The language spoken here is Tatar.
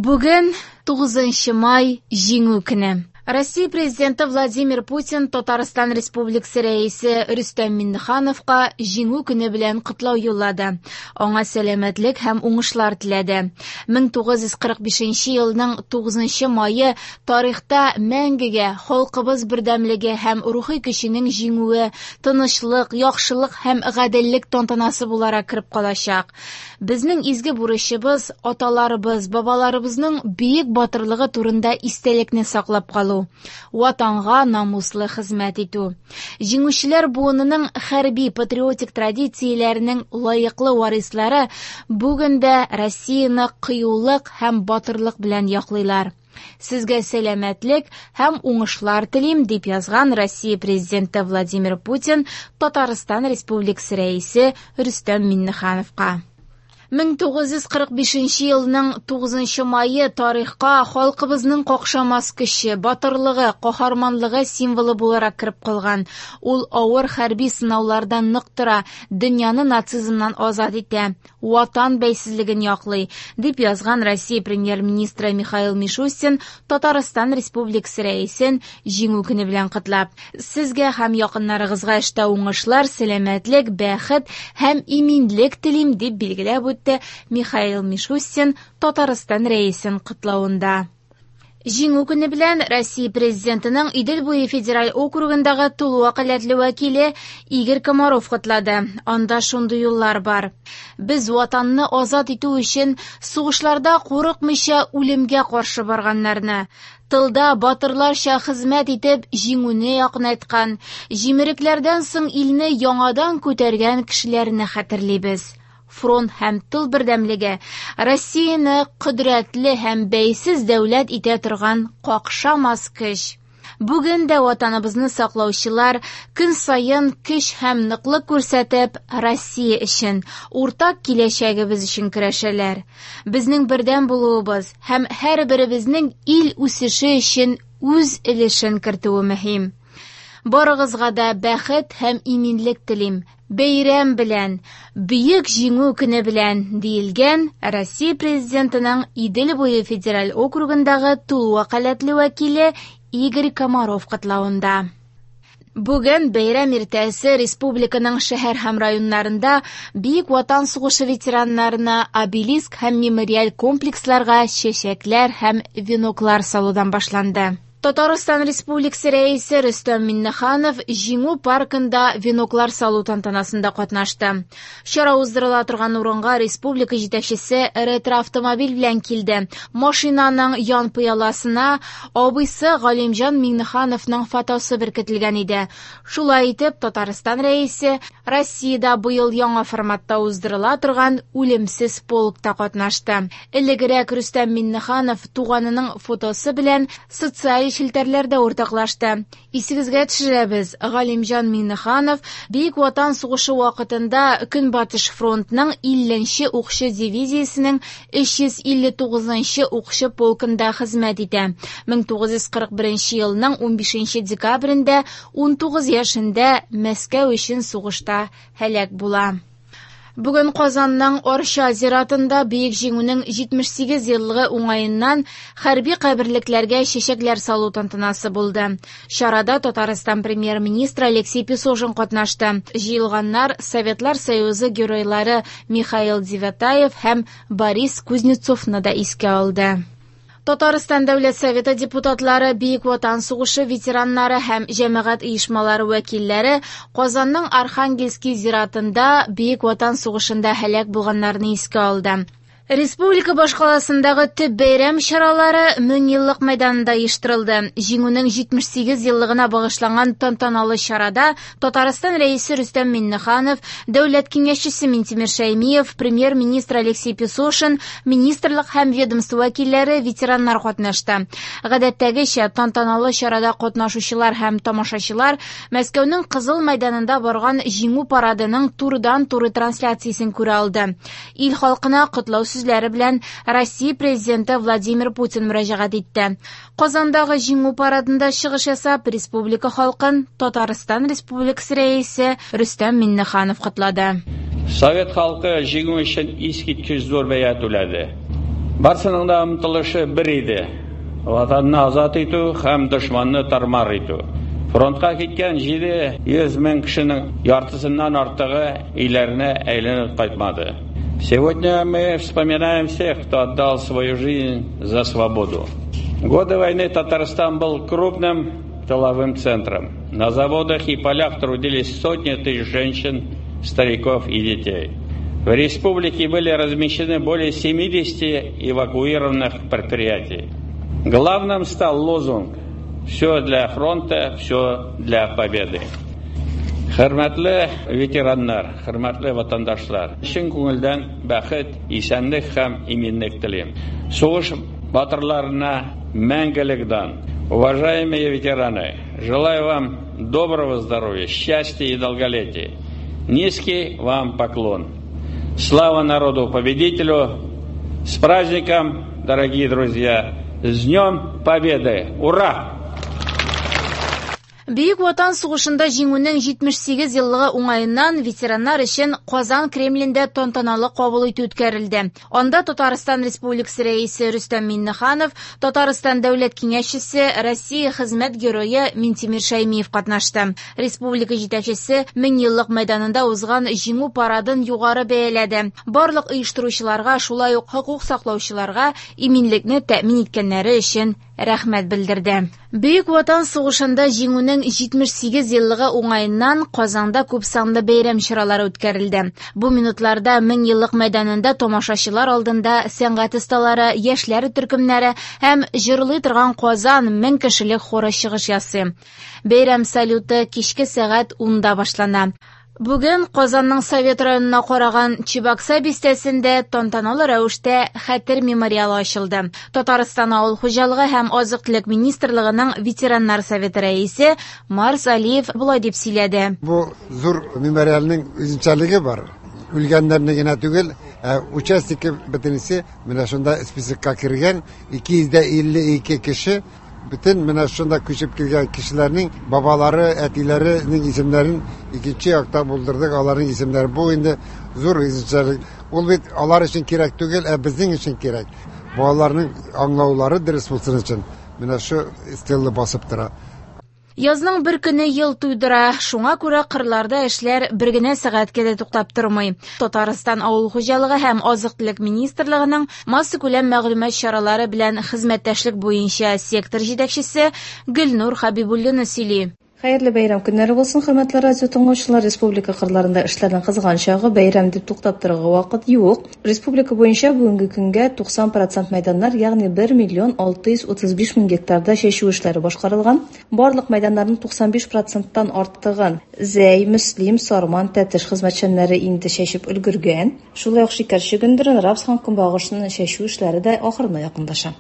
Бүген 9 май, Җиңү көне. Россия Президенты Владимир Путин Татарстан Республикасы Рәисе Рөстәм Миңнехановка Җиңү көне белән котлау юллады. Аңа сәламәтлек һәм уңышлар теләде. 1945 елның 9 мае тарихта мәңгегә халкыбыз бердәмлеге һәм рухи көченең җиңүе, тынычлык, яхшылык һәм гаделлек тантанасы буларак кереп калачак. Безнең изге бурычыбыз аталарыбыз, бабаларыбызның бөек батырлыгы турында истәлекне саклап калу, Ватанга намуслы хезмәт итү. Җиңүчеләр буынының хәрби патриотик традицияләренең лаеклы варислары бүген дә Россияне кыюлык һәм батырлык белән яклыйлар. Сезгә сәламәтлек һәм уңышлар телим, дип язган Россия Президенты Владимир Путин Татарстан Республикасы Рәисе Рөстәм Миңнехановка. 1945 елның 9 мае тарихка халкыбызның какшамас көче, батырлыгы, каһарманлыгы символы буларак кереп калган. Ул авыр хәрби сынаулардан нык тора, дөньяны нацизмнан азат итә. Ватан бәйсезлеген яклый, дип язган Россия премьер-министры Михаил Мишустин Татарстан Республикасы Рәисен Җиңү көне белән котлап. Сезгә һәм якыннарыгызга эштә уңышлар, сәламәтлек, бәхет һәм иминлек телим, дип билгеләп үтте Михаил Мишустин Татарстан Рәисен котлавында. Җиңү көне белән Россия Президентының Идел буе федераль округындагы тулы вәкаләтле вәкиле Игорь Комаров котлады. Анда шундый юллар бар. Без Ватанны азат итү өчен сугышларда курыкмыйча үлемгә каршы барганнарны, тылда батырларча хезмәт итеп җиңүне якынайткан, җимерекләрдән соң илне яңадан күтәргән кешеләрне хәтерлибез. Фронт һәм тыл бердәмлеге Россияне кодрәтле һәм бәйсез дәүләт итә торган какшамас көч. Бүген дә Ватаныбызны саклаучылар көн саен көч һәм ныклык күрсәтеп, Россия өчен, уртак киләчәгебез өчен көрәшәләр. Безнең бердәм булуыбыз һәм һәрберебезнең ил үсеше өчен үз өлешен кертүе мөһим. Барыгызга да бәхет һәм иминлек телим. Бәйрәм белән, Бөек Җиңү көне белән, диелгән Россия Президентының Идел буе федераль округындагы тулы вәкаләтле вәкиле Игорь Комаров котлавында. Бүген бәйрәм иртәсе республиканың шәһәр һәм районнарында Бөек Ватан сугышы ветераннарына обелиск һәм мемориаль комплексларга чәчәкләр һәм веноклар салудан башланды. Татарстан Республикасы Рәисе Рөстәм Миңнеханов Җиңү паркында веноклар салу тантанасында катнашты. Чара уздырыла торган урынга республика җитәкчесе ретро-автомобиль белән килде. Машинаның ян пыяласына абыйсы Галимҗан Миңнехановның фотосы беркетелгән иде. Шулай итеп, Татарстан Рәисе Россиядә быел яңа форматта уздырыла торган Үлемсез полкта катнашты. Элегрәк Рөстәм Миңнеханов туганының фотосы белән социаль челтәрләрдә уртаклашты. Исегезгә төшерәбез, Галимҗан Миңнеханов Бөек Ватан сугышы вакытында Көнбатыш фронтның 50 нче укчы дивизиясенең 359 нчы укчы полкында хезмәт итә. 1941 елның 15 декабрендә 19 яшендә Мәскәү өчен сугышта һәлак була. Бүген Казанның Арча зиратында Бөек Җиңүнең 78 еллыгы уңаеннан хәрби каберлекләргә чәчәкләр салу тантанасы булды. Чарада Татарстан премьер-министры Алексей Песошин катнашты. Җыелганнар Советлар Союзы геройлары Михаил Девятаев һәм Борис Кузнецовны да искә алды. Татарстан Дәүләт Советы депутатлары, Бөек Ватан сугышы ветераннары һәм җәмәгать оешмалары вәкилләре Казанның Архангельский зиратында Бөек Ватан сугышында һәлак булганнарны искә алды. Республика башкаласындагы төп бәйрәм чаралары Меңьеллык мәйданында оештырылды. Җиңүнең 78 еллыгына багышланган тантаналы чарада Татарстан Рәисе Рөстәм Миңнеханов, Дәүләт Киңәшчесе Минтимер Шәймиев, Премьер-министр Алексей Песошин, министрлык һәм ведомство вәкилләре, ветераннар катнашты. Гадәттәгечә, тантаналы чарада катнашучылар һәм тамашачылар Мәскәүнең Кызыл мәйданында барган Җиңү парадының турыдан-туры трансляциясен күрә алды. Ил халкына котлау сүзләре белән Россия Президенты Владимир Путин мөрәҗәгать итте. Казандагы Җиңү парадында чыгыш ясап, республика халкын Татарстан Республикасы Рәисе Рөстәм Миңнеханов котлады. Совет халкы җиңү өчен искиткеч зур бәя түләде. Барсының да омтылышы бер иде: Ватанны азат итү һәм дошманны тар-мар итү. Фронтка киткән 700 мең кешенең яртысыннан артыгы өйләренә әйләнеп кайтмады. Сегодня мы вспоминаем всех, кто отдал свою жизнь за свободу. В годы войны Татарстан был крупным тыловым центром. На заводах и полях трудились сотни тысяч женщин, стариков и детей. В республике были размещены более 70 эвакуированных предприятий. Главным стал лозунг «Все для фронта, все для победы». Хөрмәтле ветераннар, хөрмәтле ватандашлар, чын күңелдән бәхет, исәнлек һәм иминлек телим. Сугыш батырларына мәңгелек дан. Уважаемые ветераны, желаю вам доброго здоровья, счастья и долголетия. Низкий вам поклон. Слава народу-победителю! С праздником, дорогие друзья! С Днем Победы! Ура! Бөек Ватан сугышында җиңүнең 78 еллыгы уңаеннан ветераннар өчен Казан Кремлендә тантаналы кабул итү үткәрелде. Анда Татарстан Республикасы Рәисе Рөстәм Миңнеханов, Татарстан Дәүләт Киңәшчесе, Россия хезмәт герое Минтимер Шәймиев катнашты. Республика җитәкчесе Меңьеллык мәйданында узган җиңү парадын югары бәяләде. Барлык оештыручыларга, шулай ук хокук саклаучыларга иминлекне тәэмин иткәннәре өчен рәхмәт белдерде. Бөек Ватан сугышында җиңүнең 78 еллыгы уңаеннан Казанда күпсанлы бәйрәм чаралары үткәрелде. Бу минутларда Меңьеллык мәйданында тамашачылар алдында сәнгать осталары, яшьләр төркемнәре һәм җырлый торган Казан 1000 кешелек хоры чыгыш ясый. Бәйрәм салюты кичке сәгать 10-да башлана. Бүген Казанның Совет районына караган Чебакса бистәсендә тантаналы рәвештә Хәтер мемориалы ачылды. Татарстан авыл хуҗалыгы һәм азык-төлек министрлыгының ветераннар советы рәисе Марс Алиев болай дип сөйләде. Бу зур мемориалның үзенчәлеге бар. Үлгәннәрне генә түгел, ә участники бөтенесе менә шунда списокка кергән 252 кеше. Бөтен менә шунда күчеп килгән кешеләрнең бабалары, әтиләренең исемнәрен икенче якта булдырдык, аларның исемнәре. Бу инде зур үзенчәлек. Ул бит алар өчен кирәк түгел, ә безнең өчен кирәк. Балаларның аңлаулары дөрес булсын өчен менә шу стелла басып тора. Язның бер көне ел туйдыра, шуңа күрә кырларда эшләр бер генә сәгатькә дә туктап тормый. Татарстан авыл хуҗалыгы һәм азык-төлек министрлыгының массакүләм мәгълүмат чаралары белән хезмәттәшлек буенча сектор җитәкчесе Гөлнур Хабибуллина сөйли. Хәерле бәйрәм көннәре булсын, хөрмәтле радио тыңлаучылар. Республика кырларында эшләрнең кызган чагы, бәйрәм дип туктап торырга вакыт юк. Республика буенча бүгенге көнгә 90% мәйданнар, ягъни 1 миллион 635 мең гектарда чәчү эшләре башкарылган. Барлык мәйданнарның 95%-тан артыгын Зәй, Мөслим, Сарман, Тәтеш хезмәтчәннәре инде чәчеп өлгергән. Шулай ук шикәр чөгендерен, рапс һәм көнбагышны чәчү эшләре дә ахырына якынлаша.